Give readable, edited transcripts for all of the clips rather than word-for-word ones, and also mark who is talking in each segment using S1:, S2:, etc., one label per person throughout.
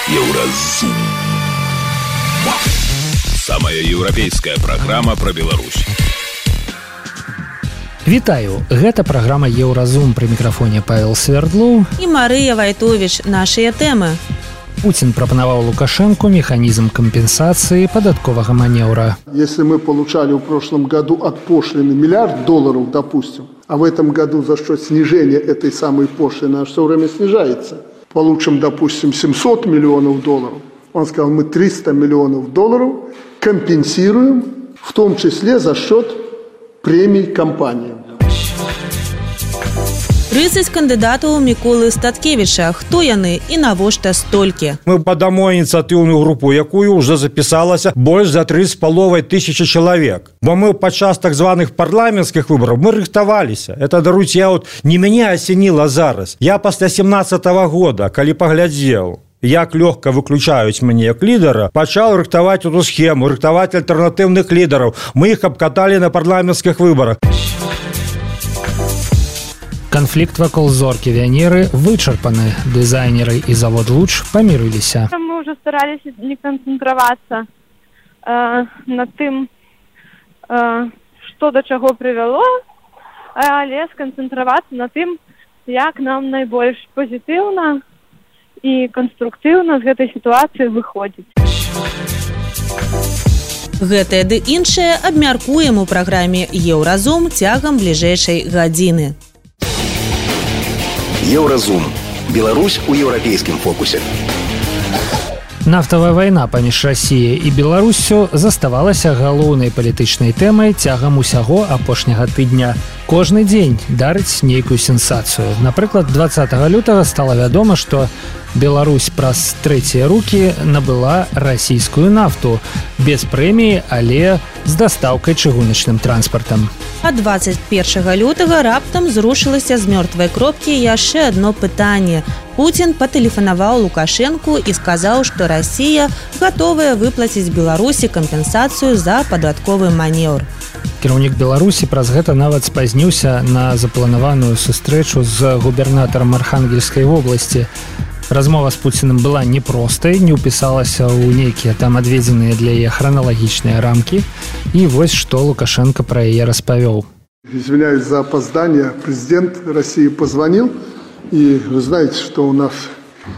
S1: Еўразум. Самая еўрапейская праграма пра Беларусь.
S2: Вітаю, гэта праграма Еўразум, пры мікрафоне Павел Свердлоў
S3: і Марыя Вайтовіч. Нашыя тэмы.
S2: Путин пропоновал Лукашенко механизм компенсации податкового маневра.
S4: Если мы получали в прошлом году от пошлины $1 миллиард, допустим, а в этом году за счет снижения этой самой пошлины она все время снижается, получим, допустим, $700 миллионов, он сказал, мы $300 миллионов компенсируем, в том числе за счет премий компаниям.
S3: 30 кандыдатаў Міколы Статкевіча. Хто яны і навошта столькі?
S5: Мы падамо ініцыятыўную групу, якую ўжо запісалася больш за 3,5 тысячи чалавек. Бо мы падчас так званых парламенцкіх выбараў мы рыхтаваліся. Это, даруйце, не мяне асеніла зараз. Я пасля 17-го года, калі паглядзеў, як лёгка выключаюць мяне як лідара, пачаў рыхтаваць эту схему, рыхтаваць альтэрнатыўных лідараў. Мы іх абкаталі на парламенцкіх выбарах.
S2: Конфликт вокруг зорки Венеры вычерпаны. Дизайнеры и завод «Луч» помирились.
S6: Мы уже старались не концентрироваться на тем, что до чего привело, але сконцентрироваться на тем, как нам наибольш позитивно и конструктивно из этой ситуации выходить.
S3: Гэтае ды іншае абмяркуем у праграме «Еўразум» цягам бліжэйшай гадзіны.
S1: Еўразум. Беларусь у еўрапейскім фокусе.
S2: Нафтавая вайна паміж Расіяй і Беларуссю заставалася галоўнай палітычнай тэмай цягам усяго апошняга тыдня. Кожны дзень дарыць нейкую сенсацыю. Напрыклад, 20 лютага стала вядома, што Беларусь праз трэція рукі набыла расійскую нафту без прэміі, але з дастаўкай чыгуначным транспартам.
S3: А 21 лютага раптам зрушылася з мёртвай кропкі яшчэ адно пытанне. Путин патэлефанаваў Лукашенку і сказаў, што Расія гатовая выплаціць Беларусі кампенсацыю за падатковы манеўр.
S2: Кіраўнік Беларусі праз гэта нават спазніўся на запланаваную сустрэчу з губернатарам Архангельскай вобласці. Размова з Пуціным была непростай, не ўпісалася ў нейкія там адведзеныя для яе храналагічныя рамкі. І вось што Лукашенко пра яе распавёў.
S4: Извиняюсь за опоздание. Президент России позвонил, и вы знаете, что у нас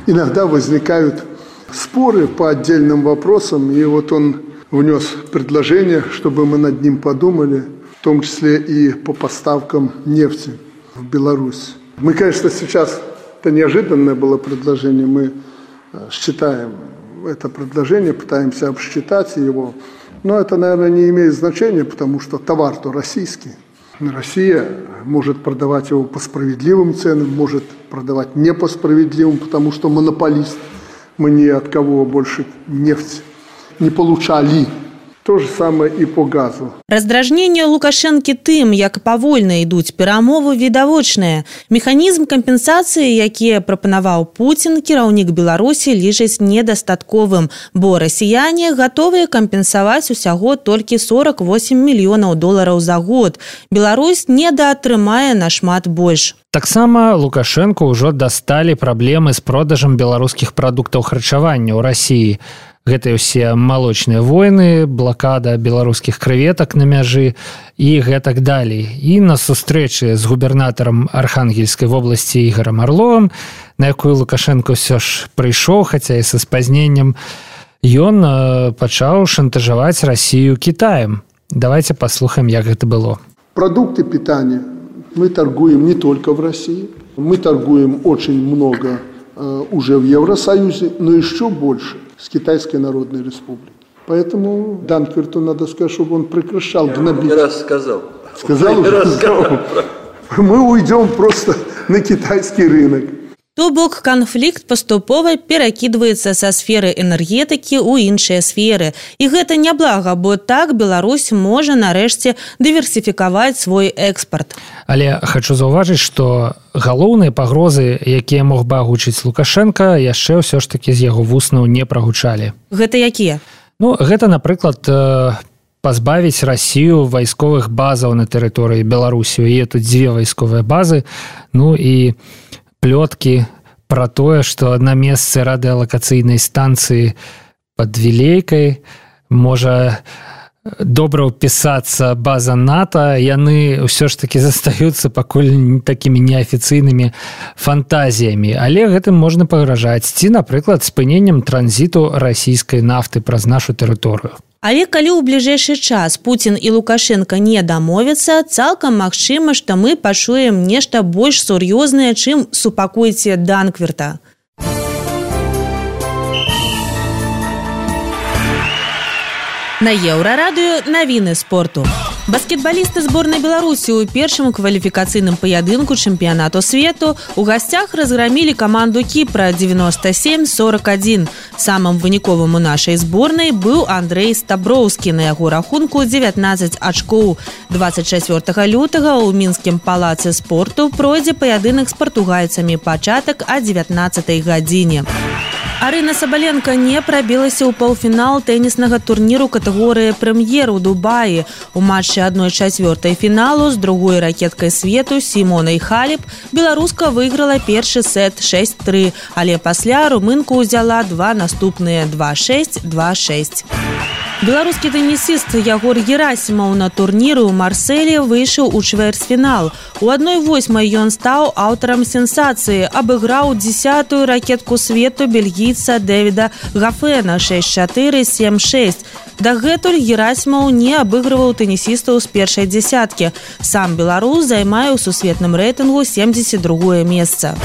S4: иногда возникают споры по отдельным вопросам, и вот он внес предложение, чтобы мы над ним подумали, в том числе и по поставкам нефти в Беларусь. Мы, конечно, сейчас, это неожиданное было предложение, мы считаем это предложение, пытаемся обсчитать его, но это, наверное, не имеет значения, потому что товар-то российский. Россия может продавать его по справедливым ценам, может продавать не по справедливым, потому что монополист. Мы ни от кого больше нефть не получали. То же самое и по газу.
S3: Раздражненне Лукашэнкі тым, як павольна ідуць перамовы, відавочнае. Механізм кампенсацыі, які прапанаваў Путін, кіраўнік Беларусі лічыць недастатковым, бо расіяне гатовыя кампенсаваць усяго толькі $48 мільёнаў за год. Беларусь недаатрымае нашмат больш.
S2: Таксама Лукашенко ўжо дасталі праблемы з продажам беларускіх прадуктаў харчавання ў Расіі. Гэта ўсе малочныя войны, блакада беларускіх крэветак на мяжы і гэтак далей. І на сустрэчы з губернатарам Архангельскай вобласці Ігорам Арловым, на якую Лукашенко ўсё ж прыйшоў, хаця і са спазненнем, ён пачаў шантажаваць Расію Кітаем. Давайте паслухаем, як гэта было.
S4: Продукты питания мы торгуем не только в России, мы торгуем очень много уже в Евросоюзе, но еще больше с Китайской Народной Республикой. Поэтому Данкверту надо сказать, чтобы он прекращал гнобить.
S7: Я раз сказал.
S4: Сказал? Мы уйдем просто на китайский рынок.
S3: То бок канфлікт паступова перакідваецца са сферы энергетыкі ў іншыя сферы. І гэта няблага, бо так Беларусь можа нарэшце дыверсіфікаваць свой экспарт.
S2: Але хочу заўважыць, што галоўныя пагрозы, якія мог бы агучыць Лукашенко, яшчэ ўсё ж такі з яго вуснаў не прагучалі.
S3: Гэта якія?
S2: Гэта, напрыклад, пазбавіць Расію вайсковых базаў на тэрыторыі Беларусі. І тут 2 вайсковыя базы, і плёткі пра тое, што на месцы радыалакацыйнай станцыі пад Вілейкай можа добра ўпісацца база НАТО, яны ўсё ж такі застаюцца пакуль такімі неафіцыйнымі фантазіямі. Але гэтым можна пагражаць, ці, напрыклад, спыненнем транзіту расійскай нафты праз нашу тэрыторыю.
S3: Але калі ў бліжэйшы час Пуцін і Лукашенко не дамовяцца, цалкам магчыма, што мы пачуем нешта больш сур'ёзнае, чым супакойце Данквірта. На Еўрарадыё навіны спорту. Баскетбалісты зборнай Беларусі ў першым кваліфікацыйным паядынку чэмпіянату свету у гасцях разграмілі каманду Кіпра 97-41. Самым выніковым у нашай зборнай быў Андрэй Стаброўскі. На яго рахунку 19 ачкоў. 24 лютага ў мінскім палацы спорту пройдзе паядынак з партугальцамі, пачатак о 19 гадзіне. Арына Сабаленко не прабілася ў паўфінал тэніснага турніру катэгорыі прэм'ер у Дубаі. У матчы 1/4 фіналу з другой ракеткай свету Сімонай Халеп беларуска выйграла першы сет 6-3, але пасля румынку ўзяла два наступныя 2-6, 2-6. Беларускі тэнісіст Ягор Герасімаў на турніры ў Марселі выйшаў у чвэрцьфінал. У 1/8 ён стаў аўтарам сенсацыі, абыграў 10-ю ракетку свету бельгійца Дэвіда Гафена 6-4, 7-6. Дагэтуль Герасімаў не абыгрываў тэнісістаў з першай дзесяткі. Сам беларус займае ў сусветным рэйтынгу 72-е месца.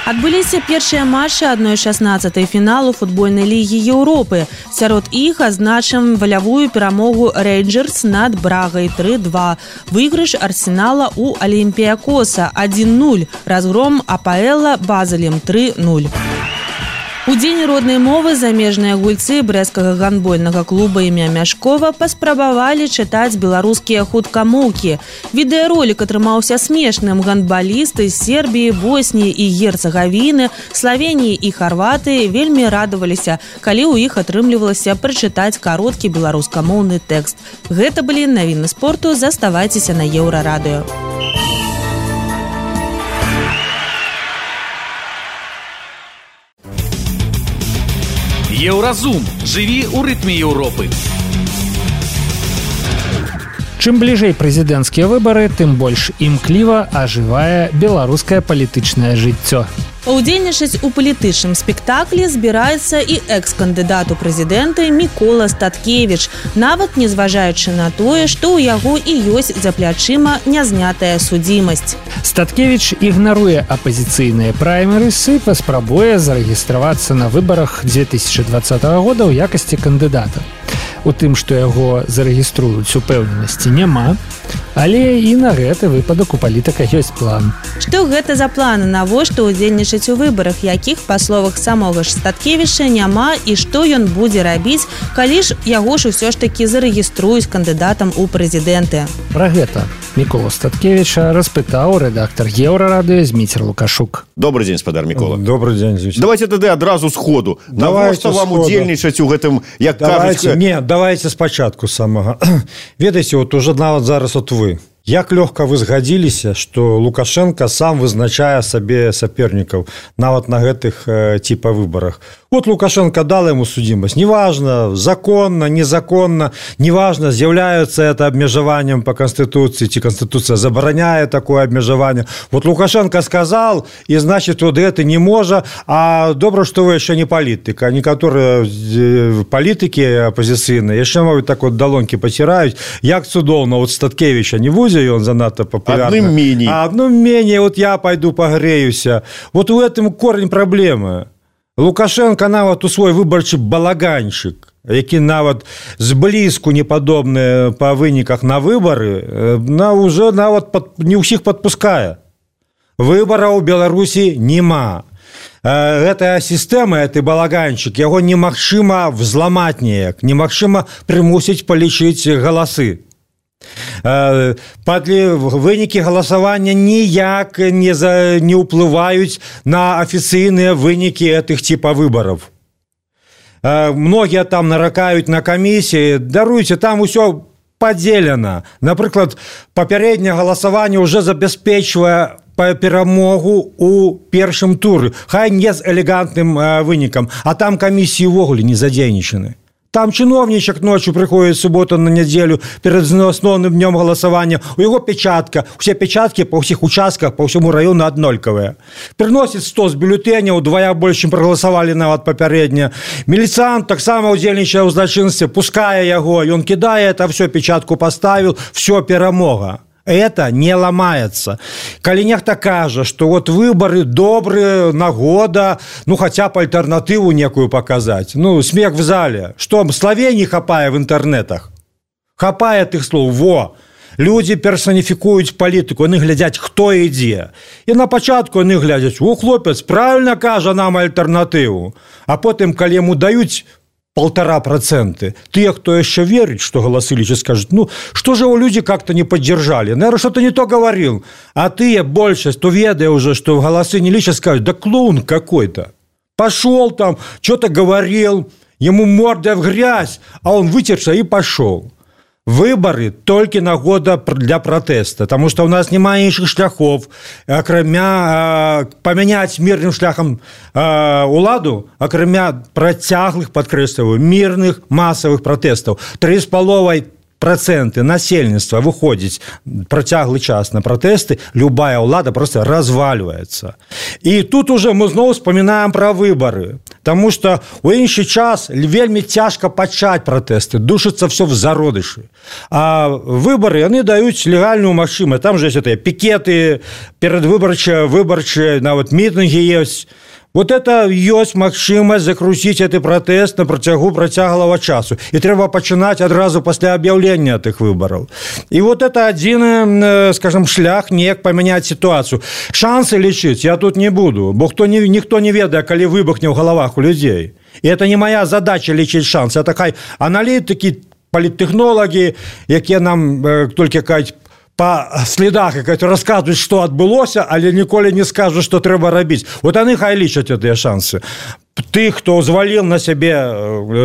S3: Адбыліся першыя матчы 1/16 фіналу футбольнай лігі Еўропы. Сярод іх адзначым валявую перамогу Рейнджерс над Брагай 3-2. Выйгрыш Арсенала у Олімпіякоса 1-0. Разгром АПЛ Базелем 3-0. У дзень роднай мовы замежныя гульцы брэсцкага гандбольнага клуба імя Мяшкова паспрабавалі чытаць беларускія хуткамоўкі. Відэаролік атрымаўся смешным. Гандбалісты з Сербіі, Босніі і Герцагавіны, Славеніі і Харватыі вельмі радаваліся, калі ў іх атрымлівалася прачытаць кароткі беларускамоўны тэкст. Гэта былі навіны спорту. Заставайцеся на Еўрарадыё.
S1: Еўразум. Жыві ў рытме Еўропы.
S2: Чым бліжэй прэзідэнцкія выбары, тым больш імкліва ажывае беларускае палітычнае жыццё.
S3: Паўдзельнічаць у палітычным спектаклі збіраецца і экс-кандыдат у прэзідэнты Мікола Статкевіч, нават не зважаючы на тое, што ў яго і ёсць за плячыма нязнятая судзімасць.
S2: Статкевіч ігнаруе апазіцыйныя праймерысы, паспрабуе зарэгістравацца на выбарах 2020 года ў якасці кандыдата. У тым, што яго зарэгіструюць, упэўненасці няма, але і на гэты выпадак у палітыка ёсць план.
S3: Што гэта за планы, навошта ўдзельнічаць у выбарах, якіх, па словах самога ж Статкевіча, няма, і што ён будзе рабіць, калі ж яго ж усё ж такі зарэгіструюць кандыдатам у прэзідэнты.
S2: Пра гэта Мікола Статкевіча распытаў рэдактар Еўрарадыё Зміцер Лукашук.
S7: Добрый день, спадар Мікола.
S5: Добрый день, Зміцер.
S7: Давайте тады адразу сходу. Навошта вам удзельнічаць у гэтым, як кажуць...
S5: Давайте спачатку самага. Ведаеце, вот уже нават зараз от вы. Як лёгка вы згадзіліся, што Лукашенко сам вызначае сабе сапернікаў нават на гэтых типа выбарах. Вот Лукашенко дал ему судимость. Неважно, законно, незаконно, неважно, з'яўляецца это абмежаваннем по Конституции, ці Конституция забараняе такое абмежаванне. Вот Лукашенко сказал, и значит, вот это не можа, а добра, што вы яшчэ не палітык. А некаторыя палітыкі апозіцыйныя яшчэ могуць так вот далонькі паціраюць. Як цудоўна, вот Статкевіча не будзе, ён занадта папулярны.
S7: Адным меней.
S5: А адным меней, вот я пойду пагрэюся. Вот у этом корень праблемы. Лукашенко нават у свой выбарчы балаганчык, які нават зблізку не падобны па выніках на выбары, уже нават не ўсіх падпускае. Выбараў у Беларусі няма. Гэтая сістэма, гэты балаганчык, яго немагчыма взламаць неяк, немагчыма прымусіць палічыць галасы. Вынікі галасавання ніяк не ўплываюць на афіцыйныя вынікі гэтых типа выбараў. Многія там наракаюць на камісіі, даруйце, там усё падзелена. Напрыклад, папярэдняе галасаванне ўжо забяспечвае перамогу у першым туры, хай не з элегантным вынікам, а там камісіі ўвогуле не задзейнічаны. Там чиновничек ночью приходит в субботу на неделю перед основным днем голосования. У его печатка. Все печатки по всех участках, по всему району одноликовые. Приносит 100 с бюллетеней, удвоя больше, чем проголосовали на вот попереднее. Милициант так само удзельнічае ў злачынстве, пуская его, и он кидает, а все, печатку поставил, все, перамога. Это не ломается. Калі нехта кажа, что вот выборы добрые, нагода, ну хотя бы альтернативу некую показать. Ну, смех в зале. Что, словей хапае в интернетах? Хапае тых слов. Во! Люди персоніфікуюць палітыку, яны глядзяць, хто ідзе. І на пачатку яны глядзяць, о, хлопец, правильно кажа нам альтэрнатыву. А потым, калі яму даюць 1,5%. Те, кто еще верит, что голосы личат, скажут, ну, что же его люди как-то не поддержали? Наверное, что-то не то говорил. А ты, большинство, то ведая уже, что голосы не личат, скажут, да клоун какой-то. Пошел там, что-то говорил, ему морда в грязь, а он вытерся и пошел. Выборы только нагода для протеста, потому что у нас немає іншых шляхов, акрамя поменять мирным шляхом уладу, акрамя працяглых, подкрэсліваю, мирных массовых протестов. 3,5% насельніцтва выходзіць працяглы час на протесты, любая ўлада просто разваливается. И тут уже мы снова вспоминаем про выборы, потому что у іншы час вельмі цяжка пачаць протесты, душится все в зародышы. А выборы, они дают легальную машину. Там же есть это пикеты, передвыборчие, нават митинги есть. Вот это есть магчымасць закрутить этот протест на працягу працяглого часу. И треба пачынаць адразу после объявления этих выборов. И вот это один, скажем, шлях неяк поменять ситуацию. Шансы лечить я тут не буду, бо никто не ведае, калі выбухне в головах у людей. И это не моя задача лечить шансы. Это хай аналитики, политтехнологи, якія нам только кажуть, по следах, які розказують, що відбулося, але ніколи не скажуть, що треба робити. От вони хай лічать ці шанси. Тих, хто звалив на себе,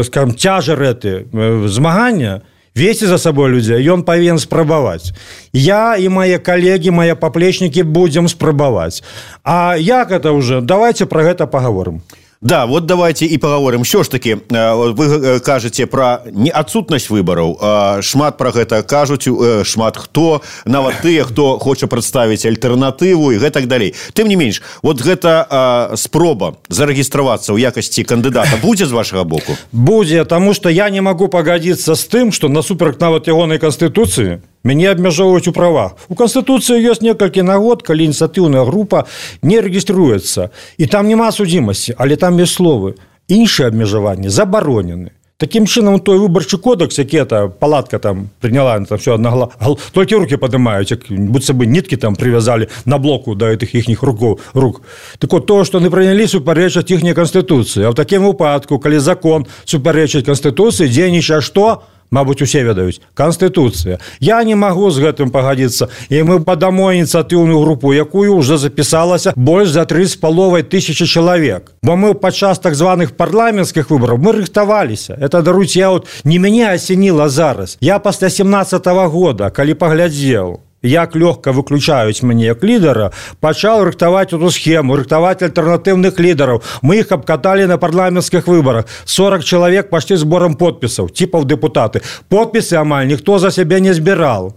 S5: скажімо, тяжер ці змагання, вести за собой людей, он повинен спробовать. Я и мои коллеги, мои поплечники будем спробовать. А як это уже? Давайте про это поговорим.
S7: Да, вот давайте и поговорим. Що ж таки, вы кажете про неотсутность выборов, шмат про гэта кажуць, шмат хто, нават тыя, хто хоча прадставіць альтэрнатыву и гэтак далей. Тым не менш, вот гэта спроба зарэгістравацца ў якасці кандыдата будзе з вашага боку?
S5: Будзе, потому что я не могу погодиться с тым, что насуперак нават ягонай Конституции мяне абмяжоўваюць у правах. У Конституции есть некалькі нагод, калі ініцыятыўная група не рэгіструецца. И там нема судзімасці, але там есть словы. Іншыя абмежаванні забаронены. Таким чынам, той выбарчы кодекс, які эта палатка там приняла, там все одно, только руки поднимают, будто бы нитки там привязали на блоку до этих ихних рук. Так вот, то, что они приняли, суперечить ихней Конституции. А в таким выпадку, коли закон суперечить Конституции, дзейнічае что? Мабуть, усе ведаюць. Конституцыя. Я не могу з гэтым пагадзіцца. І мы падамо ініцыятыўную групу, якую уже запісалася больш за 3,5 тысячи чалавек. Бо мы падчас так званых парламенцкіх выбораў мы рыхтаваліся. Это, даруйце, я вот не мяне асеніла зараз. Я пасля 17-го года, калі паглядзеў, як лёгка выключаюць мяне як лідара, пачаў рыхтаваць эту схему, рыхтаваць альтэрнатыўных лідараў. Мы іх абкаталі на парламенцкіх выборах. 40 чалавек пашлі зборам подпісаў, типаў депутаты. Подпісы амаль ніхто за сябе не збіраў.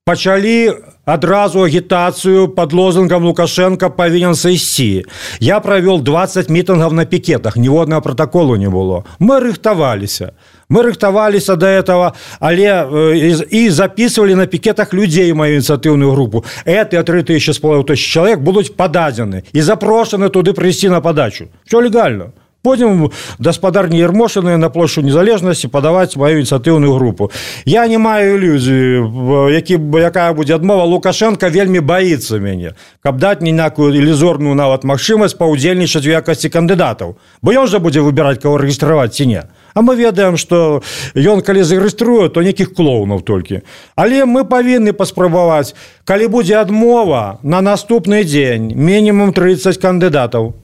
S5: Пачалі адразу агітацыю под лозунгом Лукашенко повинен сойти. Я провел 20 митингов на пикетах, ніводнага протоколу не было. Мы рыхтаваліся. Мы рыхтаваліся до этого, але и записывали на пикетах людей мою инициативную группу. Эти 3,5 человек будут подадены и запрошены туды прийти на подачу. Все легально. Будем господарні Ермошины на площу Незалежности подавать мою инициативную группу. Я не маю иллюзии, якая будет адмова. Лукашенко вельми боится меня, каб дать ніякую ілюзорную нават магчымасць паўдзельнічаць у якасці кандыдатаў. Бо ён же будзе выбирать, кого рэгістраваць ці не. А мы ведаем, что ён, калі зарэгіструе, то неких клоунов только. Але мы повинны паспрабаваць, калі будзе адмова, на наступны дзень минимум 30 кандыдатаў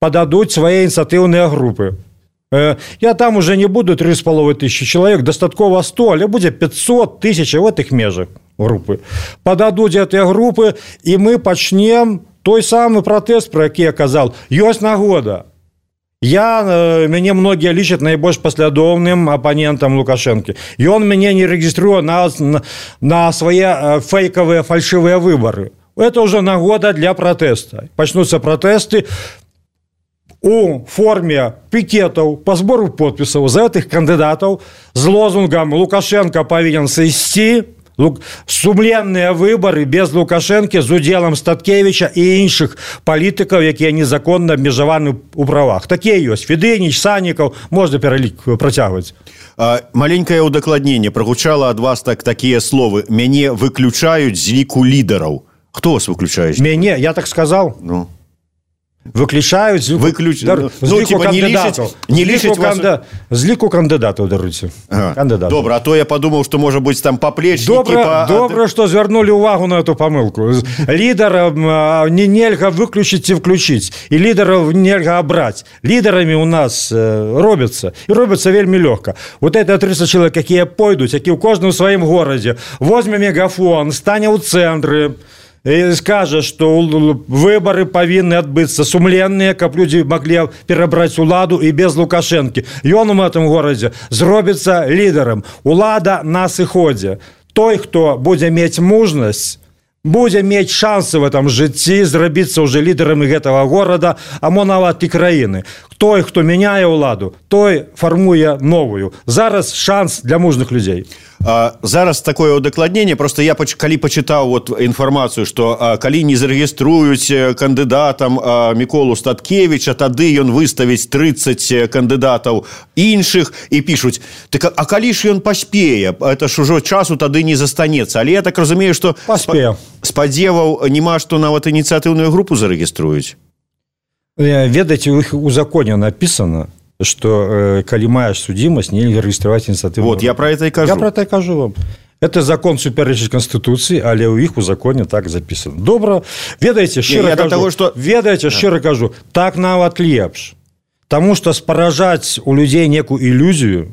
S5: подадут свои инициативные группы. Я там уже не буду 3,5 тысячи человек, достатково 100, але будет 500 тысяч в этих межах. групы. Пададуць гэтыя групы, і мы пачнем той самы пратэст, про які я казал. Ёсць нагода. Мяне многія лічаць найбольш паслядоўным апанентам Лукашэнкі. Ён мяне не рэгіструе на свае фейкавыя фальшывыя выбары. Это ўжо нагода для пратэста. Пачнуцца пратэсты у форме пікетаў па збору подпісаў за гэтых кандыдатаў з лозунгам «Лукашенко павінен сысці», сумленныя выбары без Лукашэнкі з удзелам Статкевіча і іншых палітыкаў, якія незаконна абмежаваны ў правах. Такія ёсць. Федыніч, Саннікаў, можна пералік працягваць.
S7: Маленькае ўдакладненне. Прагучала ад вас такія словы. Мяне выключаюць з ліку лідараў. Хто вас выключаюць?
S5: Мяне, я так сказаў?
S7: Ну.
S5: Выключаюць з ліку кандыдатаў, даруйце.
S7: Добра, а то я подумаў, што можа быць там паплечнікі.
S5: Добра, што звярнулі ўвагу на эту памылку. Лідара нельга выключыць ці включыць, і лідараў нельга абраць. Лідарамі у нас робяцца, і робяцца вельмі лёгка. Вот это 30 чалавек, якія пойдуць, які ў кожным сваім горадзе возьме мегафон, стане ў цэнтры, і скажа, што выбары павінны адбыцца сумленныя, каб людзі маглі перабраць уладу і без Лукашэнкі. Ён у гэтым горадзе зробіцца лідарам. Улада на сыходзе. Той, хто будзе мець мужнасць, будзе мець шансы в этом жыцці зрабіцца ўжо лідарамі гэтага горада, а мо нават і краіны. Той, хто мяняе ўладу, той фармуе новую. Зараз шанс для мужных людзей.
S7: Зараз такое удакладненне, просто я калі пачытаў інфармацыю, што калі не зарэгіструюць кандыдатам Міколу Статкевіча, тады ён выставіць 30 кандыдатаў іншых і пішуць, так, а калі ж ён паспее, это ж ужо часу тады не застанецца. Але я так разумею, што спадзеваў няма, што нават ініцыятыўную групу зарэгіструюць.
S5: Ведаеце, у іх у законе напісана, что калі маеш судимость, нельга регистрировать инициативу.
S7: Вот, я про это и кажу.
S5: Я про это и кажу вам. Это закон суперечыць Конституции, але у іх у законе так записано. Добра. Ведаеце, шчыра кажу, так нават лепш. Таму што спаражаць у людзей некую ілюзію,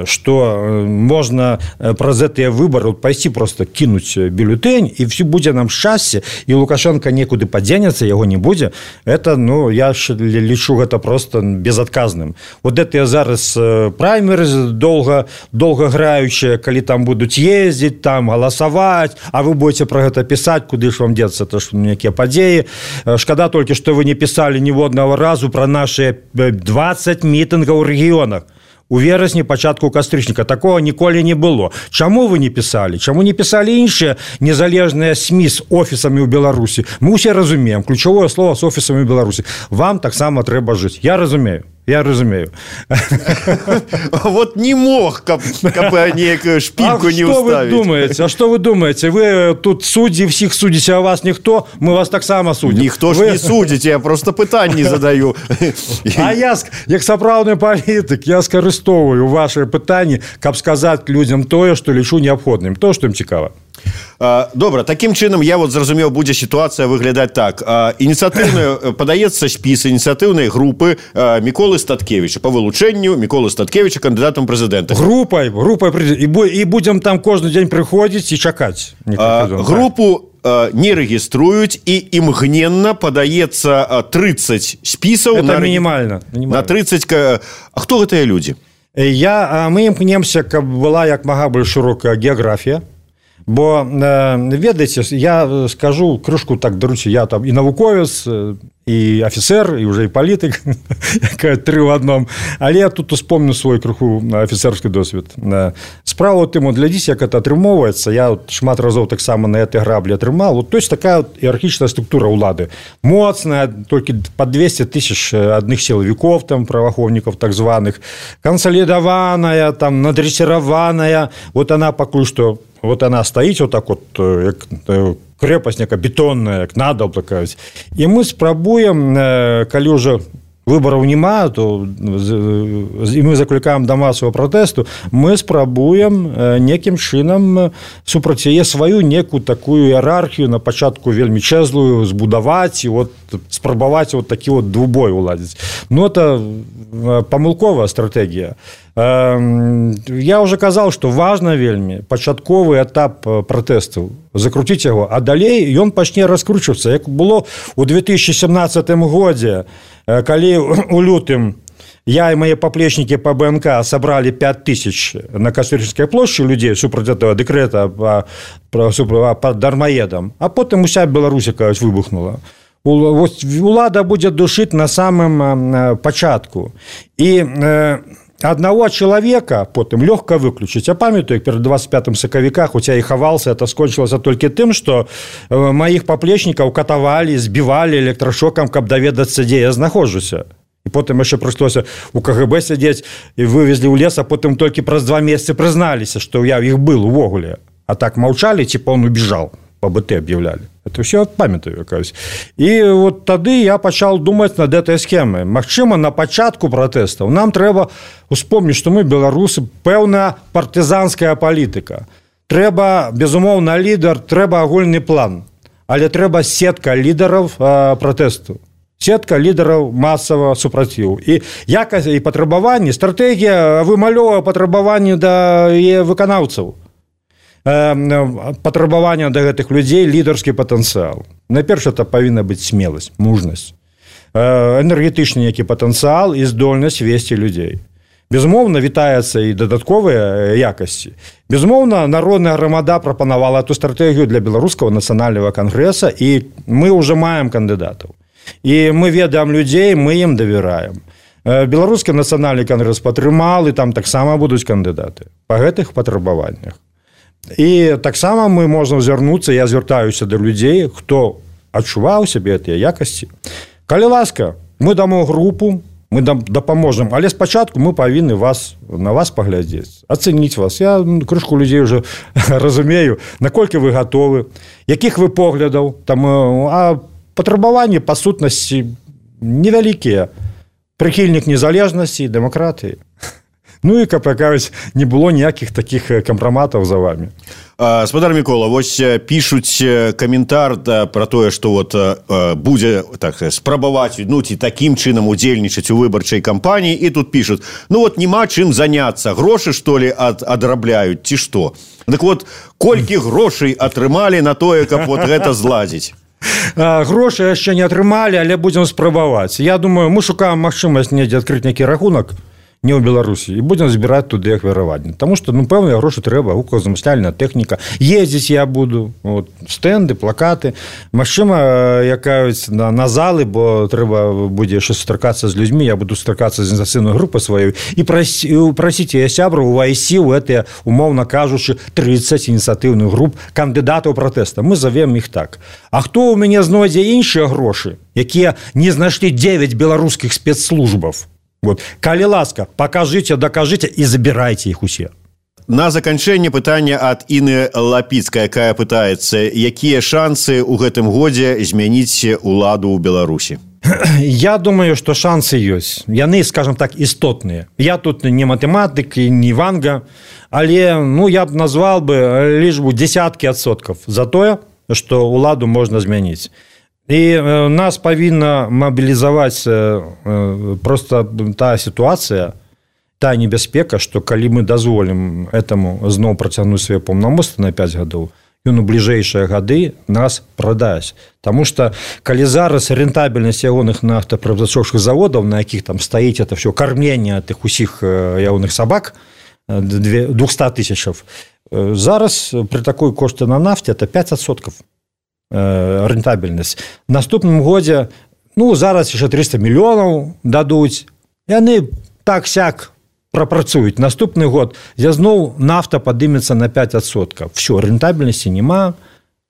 S5: что можно праз гэтыя выборы пайсці просто кинуть бюллетень, и все будзе нам шчасце, и Лукашенко некуды падзенецца, яго не будзе. Это, я лічу гэта просто безадказным. Вот гэтыя зараз праймеры долго граючыя, калі там будуць ездзіць, там галасаваць, а вы будете про гэта пісаць, куды ж вам деться, то што некія падзеі. Шкада толькі, што вы не пісалі ніводнага разу про наши 20 мітынгаў у рэгіёнах. У верасні, пачатку кастрычніка. Такого ніколі не было. Чаму вы не пісалі? Чаму не пісалі іншыя незалежныя СМІ з офісамі ў Беларусі? Мы ўсе разумеем. Ключавое слово з офісамі ў Беларусі. Вам таксама трэба жыць. Я разумею.
S7: Вот не мог, каб некую шпильку не уставить.
S5: А что вы думаете? Вы тут судьи, всех судите, а вас никто? Мы вас так само судим.
S7: Никто ж не судите, я просто пытанні задаю.
S5: А я, як сапраўдны палітык, я скарыстоўваю ваши пытанні, каб сказаць людям тое, што лічу неабходным, то, што ім цікава.
S7: Добра, таким чынам я зразумеў, будзе сітуацыя выглядаць так. Падаецца спіс ініцыятыўнай групы Міколы Статкевіча по вылучэнню Міколы Статкевіча кандыдатам прэзідэнта.
S5: Групай і будзем там кожны дзень прыходзіць і чакаць.
S7: Групу не рэгіструюць і імгненна падаецца 30 спісаў.
S5: Это мінімальна.
S7: На 30. А хто гэтыя людзі?
S5: Мы імкнемся, каб была як мага больш шырокая геаграфія. Бо, ведаеце, я скажу крышку так, даруйце, я там і навуковец, і афіцер, і уже і палітык, тры ў адном, але я тут успомню свой крыху афіцерскі досвед. Справа ў тым, глядзіце, як это атрымоўваецца, я шмат разоў таксама на этой граблі атрымаў, то есть такая іерархічная структура ўлады, моцная, толькі по 200 тысяч адных сілавікоў, там, праваахоўнікаў так званых, кансалідаваная, там, надрэсіраваная, вот она пакуль што, вот она стаіць вот так вот, як крэпасць некая бетонная, як надал такая. І мы спрабуем, калі ўжо выбораў няма, то і мы заклікаем да масавага пратэсту, мы спрабуем некім чынам супраць яе сваю некую такую іерархію на пачатку вельмі чэзлую збудаваць і вот спрабаваць вот такі вот двубой уладзіць. Ну, это памылковая стратэгія. Я уже казаў, што важна вельмі пачатковы этап пратэстаў закруціць яго, а далей ён пачне раскручвацца, як было ў 2017 годзе, калі у лютым я і мае паплечнікі па БНК сабралі 5000 на Кастрычніцкай плошчы людзей супраць этого дэкрэта па дармаедам, а потым уся Беларусь, кажуць, выбухнула. Улада будзе душыць на самым пачатку. І одного человека потым лёгка выключыць. Я памятаю, перед 25 сакавіка, хоць я і хавался, это скончылася толькі тым, што маіх паплечнікаў катавалі, збівалі электрашокам, каб даведацца, дзе я знаходжуся. І потым яшчэ прыйшлося у КГБ сядзець і вывезлі ў лес, а потым толькі праз 2 месяцы прызналіся, што я іх был увогуле. А так маўчалі, типа он убежал, по БТ объявляли. Это все памятаю, кажуць. І вот тады я пачаў думаць над этой схемай. Магчыма, на пачатку пратэстаў нам трэба успомніць, што мы, беларусы, пэўная партызанская палітыка. Трэба, безумоўна, лідар, трэба агульны план. Але трэба сетка лідараў пратэсту. Сетка лідараў масавага супраціву. І якасць і патрабаванні, стратэгія вымалёвае патрабаванні да выканаўцаў. Патрабавання да гэтых людзей, лідарскі патэнцыял. Найперш, это павінна быць смеласць, мужнасць, энергетычны які патэнцыял і здольнасць весці людзей. Безумоўна, вітаецца і дадатковыя якасці. Безумоўна, народная грамада прапанавала эту стратэгію для беларускага нацыянальнага кангрэса, і мы ўжо маем кандыдатаў. І мы ведаем людзей, мы ім давяраем. Беларускі нацыянальны кангрэс падтрымаў, і там таксама будуць кандыдаты па гэтых патрабаваннях. І таксама мы можам звярнуцца, я звяртаюся да людзей, хто адчуваў сябе гэтыя якасці. Калі ласка, мы дамо групу, мы дапаможам, але спачатку мы павінны на вас паглядзець, ацэніць вас. Я крышку людзей уже разумею, наколькі вы гатовы, якіх вы поглядаў, там, а патрабаванні па сутнасці невялікія, прыхільнік незалежнасці і дэмакратыі. Ну і, каб кажуць, не было ніякіх такіх кампраматаў за вами.
S7: Спадар Мікола, вось пішуць каментар пра тое, што вот будзе так спрабаваць ці такім чынам удзельнічаць у выбарчай кампаніі, і тут пішуць: ну вот няма чым заняцца, грошы што ли адрабляюць ці што. Дык вот колькі грошай атрымалі на тое, каб вот гэта зладзіць?
S5: Грошы яшчэ не атрымалі, але будзем спрабаваць. Я думаю, мы шукаем магчымасць недзе адкрыць нейкі рахунак не ў Беларусі, і будзем збіраць туды ахвяраванні. Таму што, пэўныя грошы трэба, гукозамысляльная тэхніка. Ездзіць я буду, стэнды, плакаты. Магчыма, якаюць на залы, бо трэба будзе яшчэ сустракацца з людзьмі, я буду сустракацца з ініцыятыўнай групай сваёй і прасіць яе сябраў увайсці ў гэтыя, умоўна кажучы, 30 ініцыятыўных груп кандыдатаў пратэста. Мы завем іх так. А хто ў мяне знойдзе іншыя грошы, якія не знайшлі 9 беларускіх спецслужбаў? Вот. Калі ласка, пакажыце, дакажыце і забірайце іх усе.
S7: На заканчэнне пытання ад Іны Лапіцкай, якая пытаецца, якія шансы ў гэтым годзе змяніць уладу ў Беларусі?
S5: Я думаю, што шансы ёсць. Яны, скажем так, істотныя. Я тут не матэматык і не ванга, але я б назвал бы лічбу десяткі адсоткаў за тое, што уладу можна змяніць. І нас павінна мабілізаваць просто тая сітуацыя, тая небяспека, што калі мы дазволім этаму зноў працягнуць свае паўнамоцтвы на 5 гадоў, ён у бліжэйшыя гады нас прадасць. Таму што калі зараз рэнтабельнасць ягоных нафтаперапрацоўчых заводаў, на якіх там стаіць это все кармленне тых усіх ягоных сабак, 200 тысячаў, зараз пры такой кошце на нафте это 5%. Рэнтабельнасць. Наступным годзе, зараз яшчэ 300 мільёнаў дадуць, яны так-сяк прапрацуюць. Наступны год зноў нафта падымецца на 5%. Все, рэнтабельнасці няма,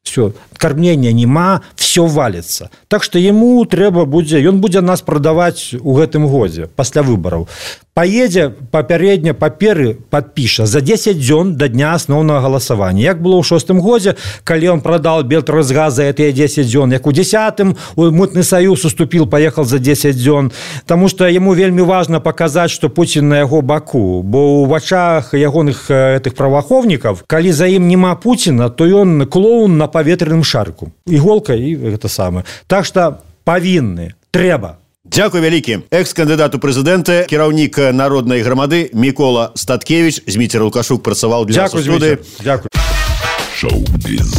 S5: все, кармлення няма, все валіцца. Так што яму трэба будзе, ён будзе нас прадаваць у гэтым годзе, пасля выбараў. поедзе папярэдне паперы подпіша за 10 дзён до дня асноўнага галасавання. Як было ў 6-м годзе, калі он продал Белтрансгаз за эти 10 дзён, як у 10-м Мытны Союз уступил, поехал за 10 дзён, потому что ему вельмі важно показать, что Путин на яго баку, бо у вачах ягоных этих праваахоўнікаў, калі за ім нема Путина, то ён клоун на паветраным шарку. Иголка и это самое. Так что павінны, трэба.
S7: Дзякуй вялікі. Экс-кандыдат у прэзідэнты, кіраўнік народнай грамады Мікола Статкевіч. Зміцер Лукашук працаваў для нас у студыі.
S5: Дзякуй.
S8: Шоу-біз.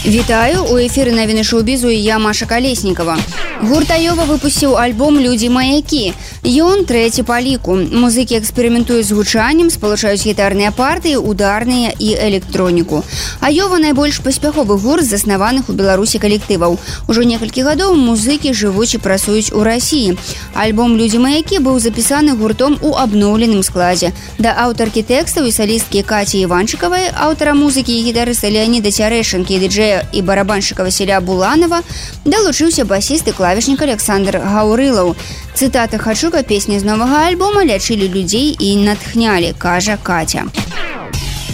S9: Вітаю, у эфіры навіны шоу-бізу і я, Маша Калеснікова. Гурт Айова выпусціў альбом «Людзі-маякі». Ён трэці па ліку. Музыкі эксперыментуюць з гучаннем, спалучаюць гітарныя партыі, ударныя і электроніку. Айова найбольш паспяховы гурт з заснаваных у Беларусі калектываў. Ужо некалькі гадоў музыкі жывуць і працуюць у Расіі. Альбом «Людзі-маякі» быў запісаны гуртом у абноўленым складзе. Да аўтаркі тэкстаў і салісткі Каці Іванчыкавай, аўтара музыкі і гітарыста Леаніда Цярэшанкі і дыджэя і барабаншчыка Васіля Буланова далучыўся басіст і клавішнік Александр Гаўрылаў. Цытата «Хачука» песні з новага альбома лячылі людзей і натхнялі, кажа Катя.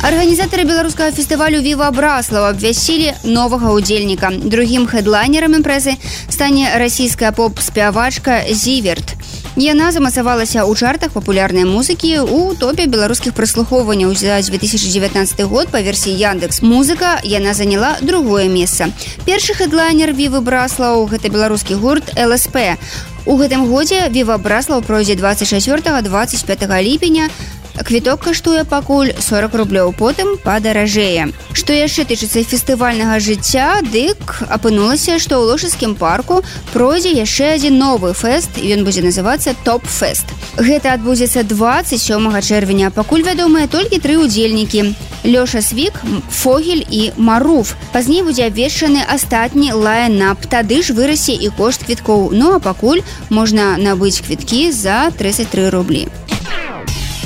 S9: Арганізатары беларускага фестывалю «Віва Браслаў» абвясцілі новага ўдзельніка. Другім хэдлайнерам імпрэзы стане расійская поп-спявачка Зіверт. Яна замацавалася ў чартах папулярнай музыкі у топе беларускіх праслухоўванняў за 2019 год па версіі Яндекс.Музыка. Яна заняла другое месца. Першы хэдлайнер «Вівы Браслаў» – гэта беларускі гурт ЛСП. У гэтым годзе «Віва Браслаў» пройдзе 24-25 ліпеня. Квіток каштуе пакуль 40 рублёў, потым падаражэе. Што яшчэ тычыцца фестывальнага жыцця, дык апынулася, што ў Лошыцкім парку пройдзе яшчэ адзін новы фэст, і ён будзе называцца «Топ-фэст». Гэта адбудзецца 27 чэрвеня. Пакуль вядомыя толькі 3 удзельнікі – Лёша Свік, Фогель і Маруф. Пазней будзе абвешчаны астатні лайн-ап, тады ж вырасе і кошт квіткоў. Ну а пакуль можна набыць квіткі за 33 рублі.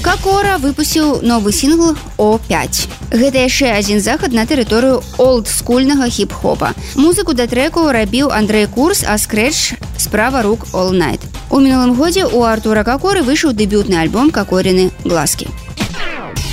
S9: Какора выпусціў новы сінгл «О5». Гэта яшчэ адзін захад на тэрыторыю олдскульнага хіп-хопа. Музыку да трэку рабіў Андрэй Курс, а скрэч справа рук All Night. У мінулым годзе у Артура Какоры выйшаў дэбютны альбом «Какорины глазкі».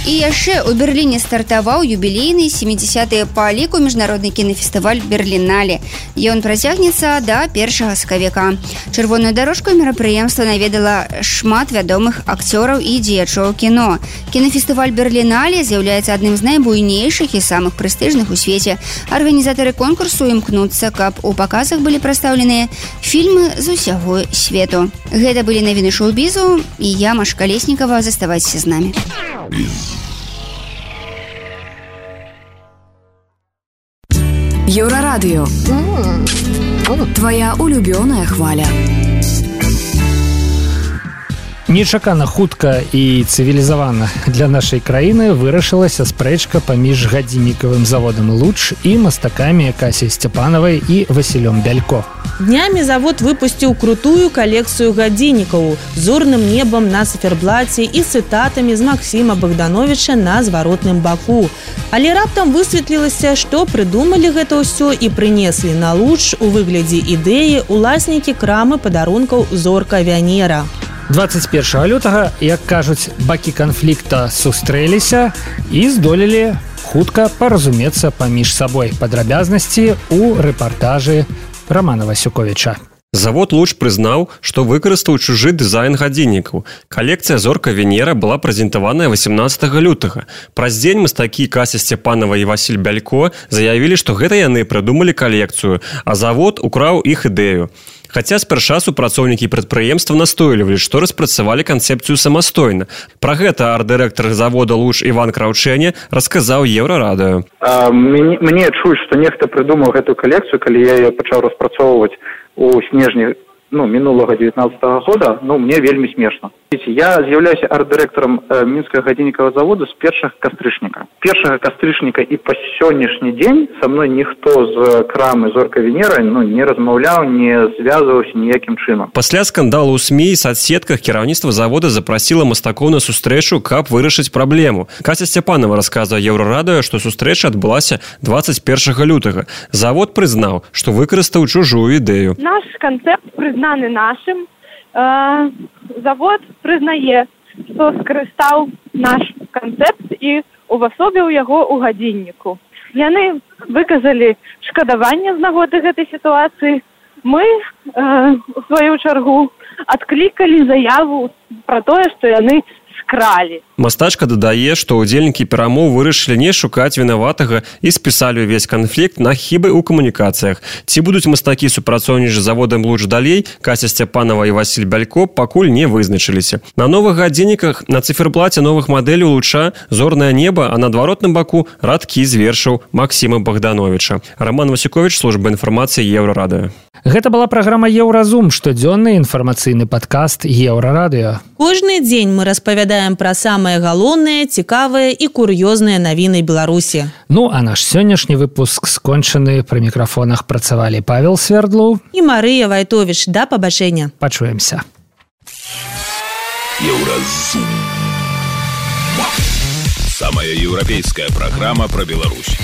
S9: І яшчэ ў Берліне стартаваў юбілейны 70-е па ліку міжнародны кінафестываль «Берлінале». Ён працягнецца да 1 сакавіка. Чырвоную дарожку мерапрыемства наведала шмат вядомых акцёраў і дзеячоў кіно. Кінафестываль «Берлінале» з'яўляецца адным з найбуйнейшых і самых прэстыжных у свеце. Арганізатары конкурсу імкнуцца, каб у паказах былі прадстаўленыя фільмы з усяго свету. Гэта былі навіны шоу-бізу, і я, Маша Калеснікова. Заставайцеся з намі.
S10: Еўрарадыё. Твоя улюбёная хваля.
S2: Нечакана хутка і цывілізавана для нашай краіны вырашылася спрэчка паміж гадзіннікавым заводам «Луч» і мастакамі Касяй Сцяпанавай і Васілём Бялько.
S3: Днямі завод выпусціў крутую калекцыю гадзіннікаў з зорным небам на цыферблаце і цытатамі з Максіма Богдановича на зваротным баку. Але раптам высветлілася, што прыдумалі гэта ўсё і прынеслі на «Луч» у выглядзе ідэі уласнікі крамы падарункаў «Зорка Вянера».
S2: 21 лютага, як кажуць, бакі канфлікта сустрэліся і здолелі хутка паразумецца паміж сабой. Падрабязнасці ў рэпартажы Романа Васюковіча.
S11: Завод «Луч» прызнаў, што выкарыстаў чужы дызайн гадзіннікаў. Калекцыя «Зорка Венера» была прэзентаваная 18 лютага. Праз дзень мастакі Кася Сцяпанава і Васіль Бялько заявілі, што гэта яны прыдумалі калекцыю, а завод украў іх ідэю. Хаця спярша супрацоўнікі прадпрыемства настойлівалі, што распрацавалі канцэпцыю самастойна. Пра гэта арт-дырэктар завода «Луч» Іван Краўчэне расказаў Еўрарадыё.
S12: Мне чуць, што нехта прыдумаў гэтую калекцыю, калі я яе пачаў распрацоўваць у снежні
S10: минулого 19-го года, мне вельмі смешна. Я з'яўляюся арт-дырэктарам мінскага гадзіннікавага завода з першага кастрычніка і па сённяшні дзень са мной ніхто з крамы «Зорка Венера» не размаўляў, не звязваўся ніякім чынам.
S11: Пасля скандалу ў СМІ і соцсетках кіраўніцтва завода запрасіла мастакоў на сустрэчу, каб вырашыць праблему. Кася Сцяпанова расказвае Еўрарадыё, што сустрэча адбылася 21 лютага. Завод прызнаў, што выкарыстаў чужую ідэю.
S6: Наш канцэпт прызнаны нашым. Завод прызнае, што скарыстаў наш канцэпт і увасобіў яго ў гадзінніку. Яны выказалі шкадаванне з нагоды гэтай сітуацыі. Мы, у сваю чаргу, адклікалі заяву пра тое, што яны скралі.
S11: Мастачка дадае, што ўдзельнікі перамоў вырашылі не шукаць вінаватага і спісалі ўвесь канфлікт на хібы ў камунікацыях. Ці будуць мастакі супрацоўнічаць з заводам лучш далей, Кася Сцяпанова і Васіль Бялько пакуль не вызначыліся. На новых гадзінніках на цыферблаце новых мадэляў луча зорнае неба, а на адваротным баку радкі з вершаў Максіма Богдановича. Роман Васюкович, служба інфармацыі Еўрарадыё.
S2: Гэта была праграма «Еўразум», штодзённы інфармацыйны падкаст Еўрарадыё.
S3: Кожны дзень мы распавядаем пра самыя галоўныя, цікавыя і кур'ёзныя навіны Беларусі.
S2: А наш сённяшні выпуск скончаны. Пры мікрафонах працавалі Павел Свердлоў
S3: і Марыя Вайтовіч. Да пабачэння.
S2: Пачуемся.
S8: Еўразум. Самая еўрапейская праграма пра Беларусь.